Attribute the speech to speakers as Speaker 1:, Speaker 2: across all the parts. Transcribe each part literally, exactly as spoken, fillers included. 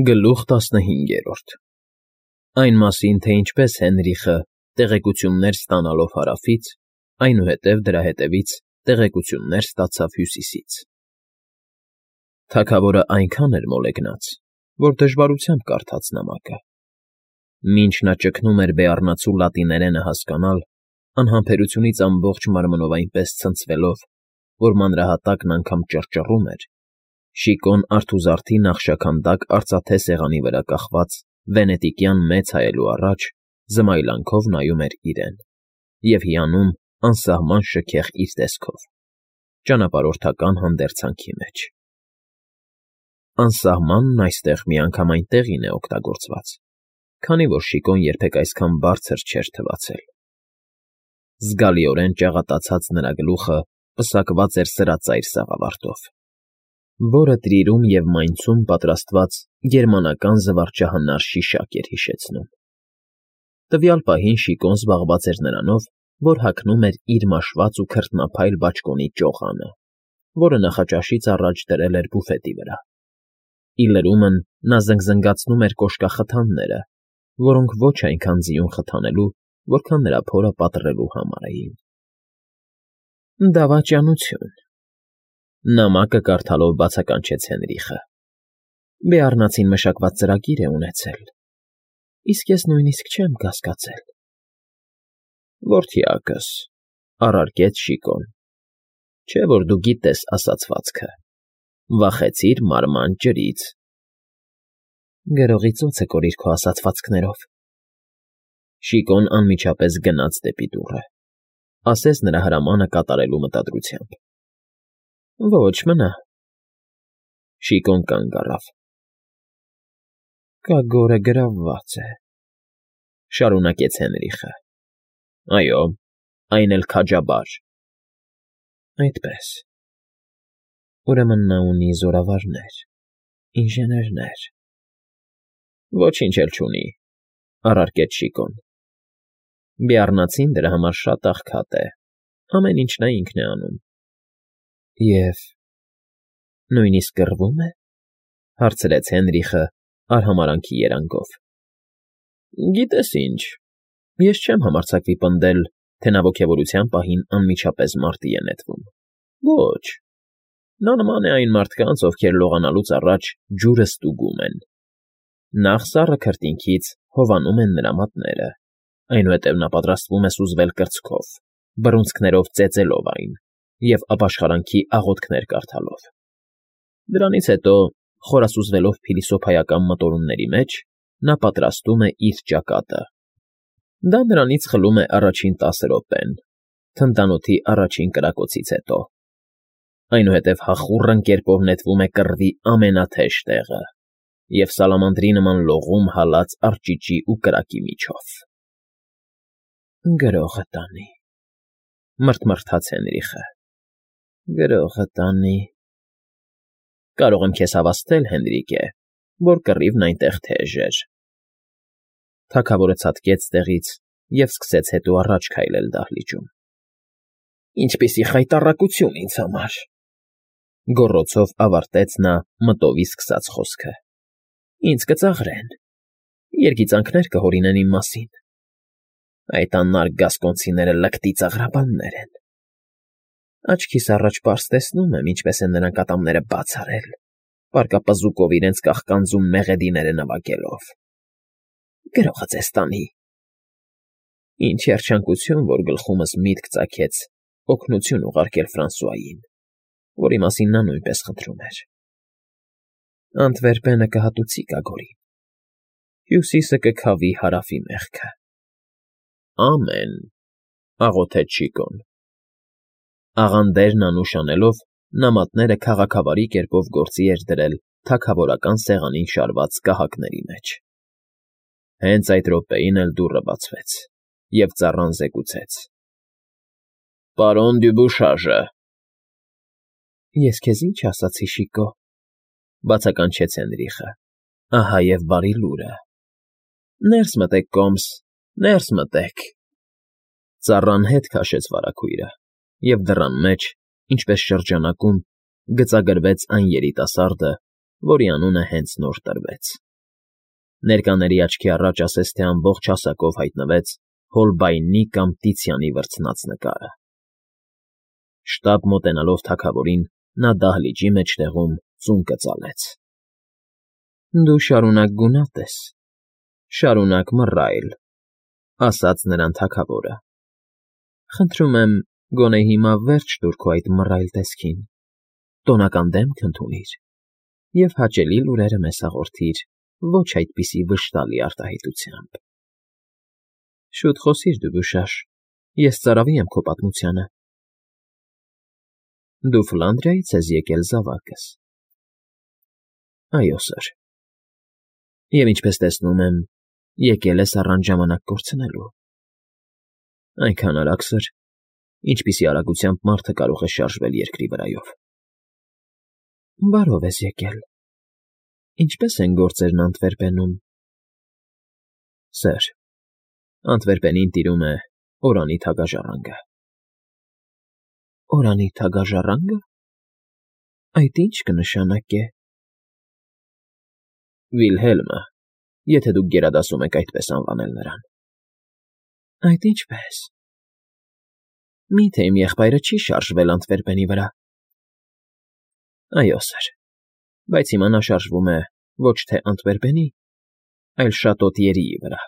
Speaker 1: Գլուխ տասնհինգերորդ Այն մասին, թե ինչպես Հենրիխը, տեղեկություններ ստանալով հարավից, այնուհետև դրա հետևից տեղեկություններ ստացավ հյուսիսից։ Թագավորն այնքան էր մոլեգնած, որ դժվարությամբ կարդաց նամակը։ Մինչ նա ճգնում էր բեառնացու լատիներենը հասկանալ, անհամբերությունից ամբողջ մարմնով այնպես ցնցվելով, որ մանրահատակն անգամ ճռճռում էր, Շիկոն արթուզարդի նախշաքանդակ արծաթե սեղանի վրա կախված վենետիկյան մեծ հայելու առաջ զմայլանքով նայում էր իրեն և հիանում անսահման շքեղ իր տեսքով, ճանապարհորդական հանդերձանքի մեջ։ Անսահմանն այստեղ միանգամայն տեղին է օգտագործված, քանի որ Շիկոն երբեք այսքան բարձր չէր թվացել։ Զգալիորեն ճաղատացած նրա գլուխը պսակված էր սրածայր սաղավարտով, որը տրիրում և մայնցում պատրաստված գերմանական զվարճահնար շիշակ էր հիշեցնում։ Տվյալ պահին Շիկոն զբաղված էր նրանով, որ հագնում էր իր մաշված ու քրտնափայլ բաճկոնի ճողանը, որը նախաճաշից առաջ դրել էր բուֆետի վրա։ Ի լրումն նա զնգզնգացնում էր կոշկախթանները, որոնք ոչ այնքան ձիուն խթանելու, որքան նրա փորը պատռելու համար էին։ Դավաճանություն, նամակը կարդալով բացականչեց Հենրիխը։ Բեառնացին մշակված ծրագիր է ունեցել, իսկ ես նույնիսկ չեմ կասկածել։ Որդյակս, առարկեց Շիկոն, չէ՞ որ դու գիտես ասացվածքը, վախեցիր մարման ջրից։ Գրողի ծոցը կորիր քո ասացվածքներով։ Շիկոն անմիջապես գնաց դեպի դուռը, ասես նրա հրամանը կատարելու մտադրությամբ։ Ոչ, մնա։ Շիկոն կանգ առավ։ Կագորը գրավված է, շարունակեց Հենրիխը։ Այո, այն էլ քաջաբար։ Այդպես։ Ուրեմն նա ունի զորավարներ, ինժեներներ։ Ոչինչ էլ չունի, առարկեց Շիկոն։ Բեառնացին դրա համար շատ աղքատ է, ամեն ինչ նա ինքն է անում։ Եվ նույնիսկ կռվում է, հարցրեց Հենրիխը արհամարհանքի երանգով։ Գիտես ինչ, ես չեմ համարձակվի պնդել, թե նա ոգևորության պահին անմիջապես մարտի է նետվում։ Ոչ, նա նման է այն մարդկանց, ովքեր լողանալուց առաջ ջուրը ստուգում են։ Նախ սառը քրտինքից հովանում են նրա մատները, այնուհետև նա պատրաստվում է սուզվել կրծքով, բռունցքներով ծեծելով այն և ապաշխարանքի աղոթքներ կարդալով։ Դրանից հետո, խորասուզվելով փիլիսոփայական մտորումների մեջ, նա պատրաստում է իր ճակատը։ Դա նրանից խլում է առաջին տասը րոպեն, թնդանոթի առաջին կրակոցից հետո։ Այնուհետև հախուռն կերպով նետվում է կռվի ամենաթեժ տեղը և սալամանդրի նման լողում հալած արճիճի ու կրակի միջով։ Գրողը տանի, մռթմռթաց Հենրիխը։ Գրողը տանի։ Կարող եմ քեզ հավաստել, Հենրիկե, որ կռիվն այնտեղ թեժ էր։ Թագավորը ցատկեց տեղից և սկսեց հետո առաջ քայլել դահլիճում։ Ինչպիսի խայտառակություն ինձ համար, գոռոցով ավարտեց նա մտովի սկսած խոսքը։ Ինձ կծաղրեն, երգիծանքներ կհորինեն իմ մասին։ Այդ անարգ գասկոնցիները լկտի ծաղրաբաններ են։ Աչքիս առաջ պարզ տեսնում եմ, ինչպես են նրանք ատամները բաց արել, պարկապզուկով իրենց կաղկանձում մեղեդիները նվագելով։ Գրողը ձեզ տանի։ Ինչ երջանկություն, որ գլխումս միտք ծագեց օգնություն ուղարկել Ֆրանսուային, որի մասին նա նույնպես խնդրում էր։ Անտվերպենը կհատուցի Կագորին, Հյուսիսը կքավի հարավի մեղքը։ Ամեն, աղոթեց Շիկոն։ Աղանդերն անուշ անելով, նամատները քաղաքավարի կերպով գործի էր դրել թագավորական սեղանին շարված կահակների մեջ։ Հենց այդ րոպեին էլ դուռը բացվեց, և ծառան զեկուցեց. Պարոն Դյուբուշաժը։ Ես քեզ ինչ ասացի, Շիկո, բացականչեց Հենրիխը, ահա և բարի լուրը։ Ներս մտեք, կոմս, ներս մտեք։ Ծառան հետ քաշեց վարագույրը, և դռան մեջ, ինչպես շրջանակում, գծագրվեց այն երիտասարդը, որի անունը հենց նոր տրվեց։ Ներկաների աչքի առաջ ասես թե ամբողջ հասակով հայտնվեց Հոլբայնի կամ Տիցիանի վրձնած նկարը։ Շտապ մոտենալով թագավորին, նա դահլիճի մեջտեղում ծուն կծալեց։ ֊ Դու շարունակ գունատ ես, շարունակ մռայլ,֊ ասաց նրան թագավորը։ ֊ Խնդրում եմ, գոնե հիմա վերջ տուր քո այդ մռայլ տեսքին, տոնական դեմք ընդունիր և հաճելի լուրերը մեզ հաղորդիր ոչ այդպիսի վշտալի արտահայտությամբ։ Շուտ խոսիր, Դուդուշաշ, ես ծարավի եմ քո պատմությանը։ Դու Ֆլանդրիայից ես եկել, զավակս։ Այո, սըր։ Եվ ինչպես տեսնում եմ, եկել ես առանց ժամանակ կորցնելու։ Այնքան արագ, սըր, ինչպիսի արագությամբ մարդը կարող է շարժվել երկրի վրայով։ Բարով ես եկել։ Ինչպե՞ս են գործերն Անտվերպենում։ Սըր, Անտվերպենին տիրում է Օրանի թագաժառանգը։ Օրանի թագաժառա՞նգը։ Այդ ի՞նչ կնշանակե։ Վիլհելմը, եթե դուք գերադասում եք այդպես անվանել նրան։ Այդ ինչպե՞ս։ Մի՞թե իմ եղբայրը չի շարժվել Անտվերպենի վրա։ Այո, սըր, բայց հիմա նա շարժվում է ոչ թե Անտվերպենի, այլ Շատոտիերիի վրա։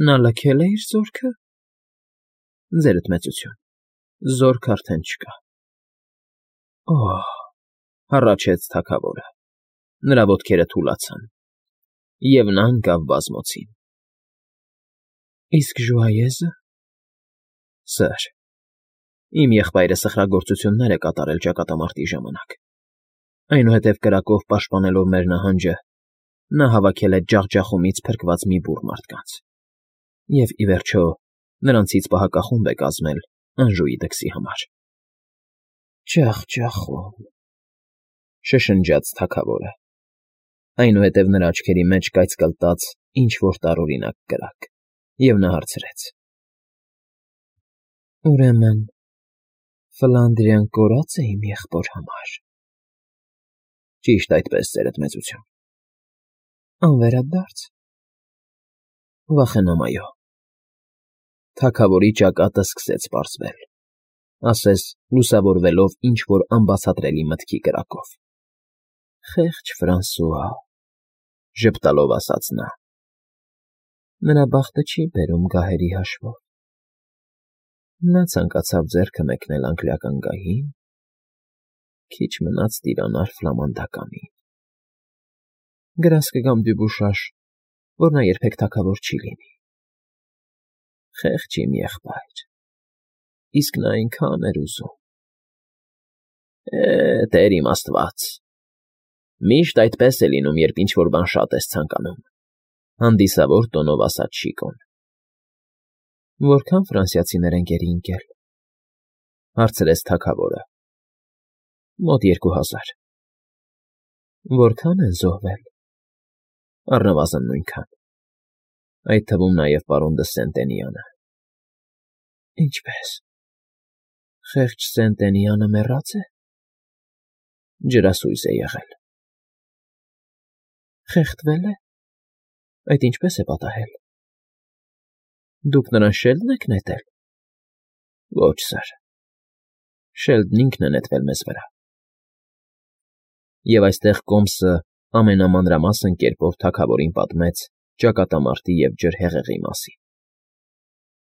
Speaker 1: Նա լքել է իր զորքը։ Ձերդ մեծություն, զորք արդեն չկա։ Օհ,֊ հառաչեց թագավորը։ Նրա ոտքերը թուլացան, և նա ընկավ բազմոցին։ Իսկ Ժուայեզը։ Սըր, իմ եղբայրը սխրագործություններ է կատարել ճակատամարտի ժամանակ, այնուհետև կրակով պաշտպանելով մեր նահանջը, նա հավաքել է ջախջախումից փրկված մի բուռ մարդկանց և, ի վերջո, նրանցից պահակախումբ է կազմել Անժուի դքսի համար։ Ջախջախում,֊ շշնջաց թագավորը։ Այնուհետև նրա աչքերի մեջ կայծկլտաց ինչ֊որ տարօրինակ կրակ, և նա հարցրեց. Ուրեմն Ֆլանդրիան կորած է իմ եղբոր համար։ Ճիշտ այդպես, ձերդ մեծություն։ Անվերադարձ։ Վախենամ, այո։ Թագավորի ճակատը սկսեց պարզվել, ասես լուսավորվելով ինչ֊որ անբացատրելի մտքի կրակով։ Խեղճ Ֆրանսուա,֊ ժպտալով ասաց նա։ Նրա բախտը չի բերում գահերի հաշվով։ Նա ցանկացավ ձեռքը մեկնել անգլիական գահին, քիչ մնաց տիրանալ ֆլամանդականին։ Գրազ կգամ, Դյուբուշաշ, որ նա երբեք թագավոր չի լինի։ Խեղճ իմ եղբայր, իսկ նա այնքան էր ուզում։ Է, Տեր իմ Աստված, միշտ այդպես է լինում, երբ ինչ֊որ բան շատ ես ցանկանում,֊ հանդիսավոր տոնով ասաց Շիկոն։ Որքա՞ն ֆրանսիացիներ են գերի ընկել,֊ հարցրեց թագավորը։ Մոտ երկու հազար։ Որքա՞ն են զոհվել։ Առնվազն նույնքան, այդ թվում նաև պարոն դը Սենտենյանը։ Ինչպե՞ս։ Խեղճ Սենտենյանը մեռա՞ծ է։ Ջրասույզ է եղել։ Խեղդվե՞լ է։ Այդ ինչպե՞ս է պատահել։ Դուք նրան շե՞լդն եք նետել։ Ոչ, սըր, շելդն ինքն է նետվել մեզ վրա։ Եվ այստեղ Կոմսը ամենամանրամասն կերպով թագավորին պատմեց ճակատամարտի և ջրհեղեղի մասին։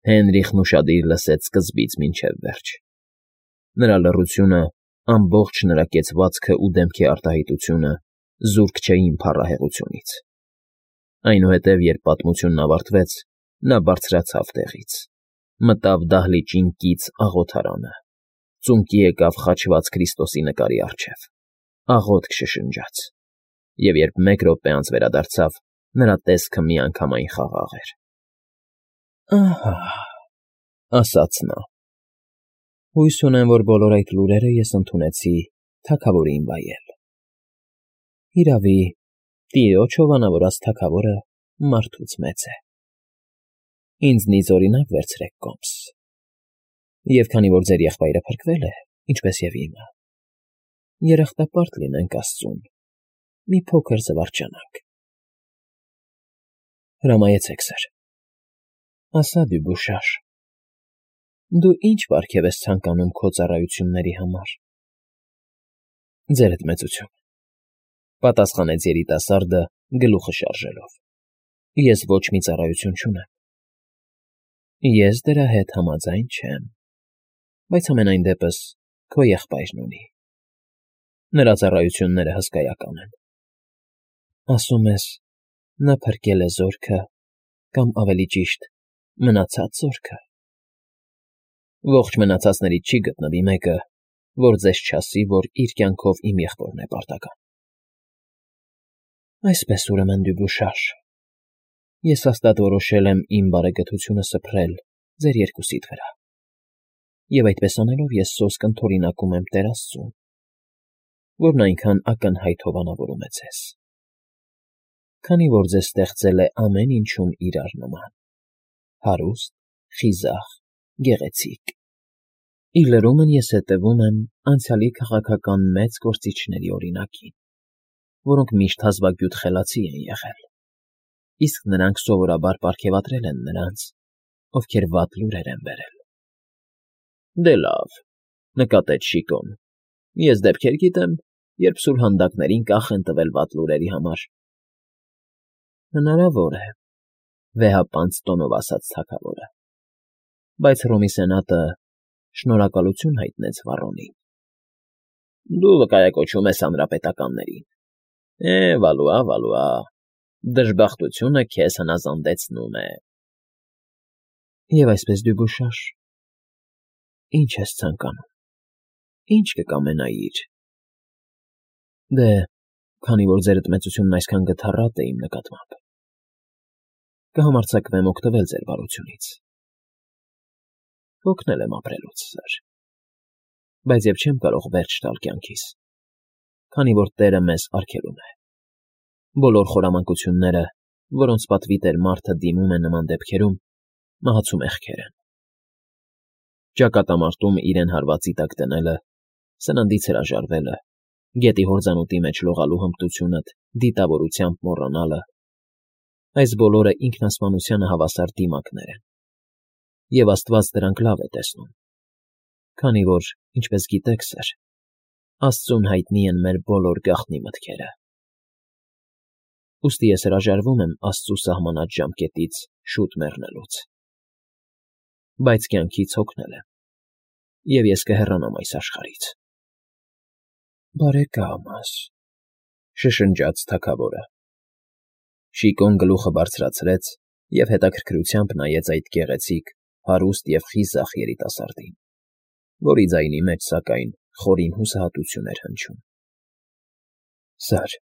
Speaker 1: Հենրիխն ուշադիր լսեց սկզբից մինչև վերջ։ Նրա լռությունը, ամբողջ նրա կեցվածքը ու դեմքի արտահայտությունը զուրկ չէին փառահեղությունից։ Այնուհետև, երբ պատմությունն ավարտվեց, նա բարձրացավ տեղից, մտավ դահլիճին կից աղոթարանը, ծունկի եկավ խաչված Քրիստոսի նկարի առջև, աղոթք շշնջաց, և երբ մեկ րոպե անց վերադարձավ, նրա տեսքը միանգամայն խաղաղ էր։ Ահա,֊ ասաց նա,֊ հույս ունեմ, որ բոլոր այդ լուրերը ես ընդունեցի թագավորին վայել։ Իրավի, տիրոջ հովանավորած թագավորը մարդուց մեծ է։ Ինձնից օրինակ վերցրեք, Կոմս։ Եվ քանի որ ձեր եղբայրը փրկվել է, ինչպես և իմը, երախտապարտ լինենք Աստծուն, մի փոքր զվարճանանք։ Հրամայեցեք, սըր։ Ասա Դյուբուշաշ, դու ի՞նչ պարգև ես ցանկանում քո ծառայությունների համար։ Ձերդ մեծություն, պատասխանեց երիտասարդը գլուխը շարժելով։ Ես ոչ մի ծառայություն չունեմ։ Ես դրա հետ համաձայն չեմ, բայց ամենայն դեպս քո եղբայրն ունի։ Նրա ծառայությունները հսկայական են։ Ասում ես, նա փրկել է զորքը, կամ ավելի ճիշտ, մնացած զորքը։ Ողջ մնացածներից չի գտնվի մեկը, որ ձեզ չասի, որ իր կյանքով իմ եղբորն է պարտական։ Այսպես ուրեմն Դյուբուշաշ, ես հաստատ որոշել եմ իմ բարեգթությունը սփռել ձեր երկուսիդ վրա, և այդպես անելով ես սոսկ ընդօրինակում եմ Տեր Աստծուն, որն այնքան ակնհայտ հովանավորում է ձեզ, քանի որ ձեզ ստեղծել է ամեն ինչում իրար նման, հարուստ, խիզախ, գեղեցիկ։ Ի լրումն ես հետևում եմ անցյալի քաղաքական մեծ գործիչների օրինակին, որոնք միշտ հազվագյուտ խելացի են եղել, իսկ նրանք սովորաբար պարգևատրել են նրանց, ովքեր վատ լուրեր են բերել։ Դե լավ, նկատեց Շիկոն, ես դեպքեր գիտեմ, երբ սուրհանդակներին կախ են տվել վատ լուրերի համար։ Հնարավոր է, վեհապանծ տոնով ասաց թագավորը, բայց Հռոմի սենատը շնորհակալություն հայտնեց Վառոմին։ Դու վկայակոչում ես հանրապետականներին։ Է, վալուա, վալուա, դժբախտությունը քեզ հնազանդեցնում է։ Եվ այսպես Դյուբուշաշ, ի՞նչ ես ցանկանում, ի՞նչ կկամենայիր։ Դե, քանի որ ձերդ մեծությունն այսքան գթառատ է իմ նկատմամբ, կհամարձակվեմ օգտվել ձեր բարությունից։ Հոգնել եմ ապրելուց, սըր, բայց և չեմ կարող վերջ տալ կյանքիս, քանի որ Տերը մեզ արգելում է։ Բոլոր խորամանկությունները, որոնց պատվի տեր մարդը դիմում է նման դեպքերում, մահացու մեղքեր են։ Ճակատամարտում իրեն հարվածի տակ դնելը, սննդից հրաժարվելը, գետի հորձանուտի մեջ լողալու հմտությունդ դիտավորությամբ մոռանալը, այս բոլորը ինքնասպանությանը հավասար դիմակներ են, և Աստված դրանք լավ է տեսնում, քանի որ, ինչպես գիտեք, սըր, Աստծուն հայտնի են մեր բոլոր գաղտնի մտքերը։ Ուստի ես հրաժարվում եմ Աստծու սահմանած ժամկետից շուտ մեռնելուց։ Բայց կյանքից հոգնել եմ, և ես կհեռանամ այս աշխարհից։ Բարեկա՛մս,֊ շշնջաց թագավորը։ Շիկոն գլուխը բարձրացրեց և հետաքրքրությամբ նայեց այդ գեղեցիկ, հարուստ և խիզախ երիտասարդին, որի ձայնի մեջ, սակայն, խորին հուսահատություն էր հնչում։ Սըր,֊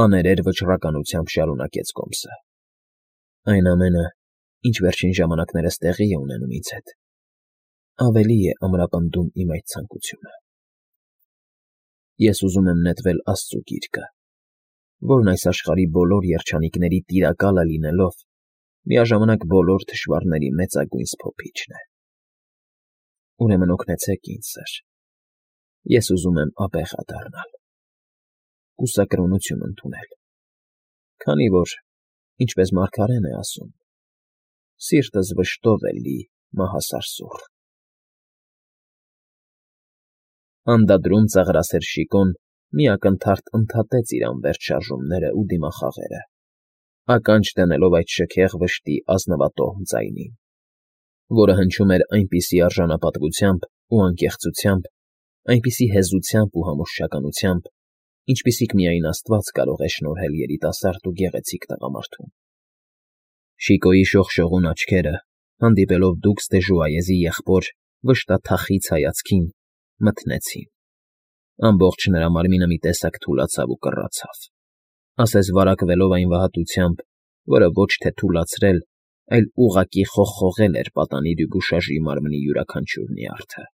Speaker 1: աներեր վճռականությամբ շարունակեց Կոմսը,֊ այն ամենը, ինչ վերջին ժամանակներս տեղի է ունենում ինձ հետ, ավելի է ամրապնդում իմ այդ ցանկությունը։ Ես ուզում եմ նետվել Աստծու գիրկը, որն այս աշխարհի բոլոր երջանիկների տիրակալը լինելով, միաժամանակ բոլոր թշվառների մեծագույն սփոփիչն է։ Ուրեմն օգնեցեք ինձ, սըր, ես ուզում եմ աբեղա դառնալ, կուսակրոնություն ընդունել, քանի որ, ինչպես մարգարեն է ասում, սիրտս վշտով է լի մահասարսուռ։ Անդադրում ծաղրասեր Շիկոն մի ակնթարթ ընդհատեց իր անվերջ շարժումներն ու դիմախաղերը, ականջ դնելով այդ շքեղ վշտի ազնվատոհմ ձայնին, որը հնչում էր այնպիսի արժանապատվությամբ ու անկեղծությամբ, այնպիսի հեզությամբ ու համոզչականությամբ, ինչպիսիք միայն Աստված կարող է շնորհել երիտասարդ ու գեղեցիկ տղամարդուն։ Շիկոյի շողշողուն աչքերը, հանդիպելով դուքս Դեժուայեզի եղբոր վշտաթախիծ հայացքին, մթնեցին, ամբողջ նրա մարմինը մի տեսակ թուլացավ ու կռացավ, ասես վարակվելով այն վհատությամբ, որը ոչ թե թուլացրել, այլ ուղղակի խողխողել էր պատանի Դյուբուշաժի մարմնի յուրաքանչյուր նյարդը։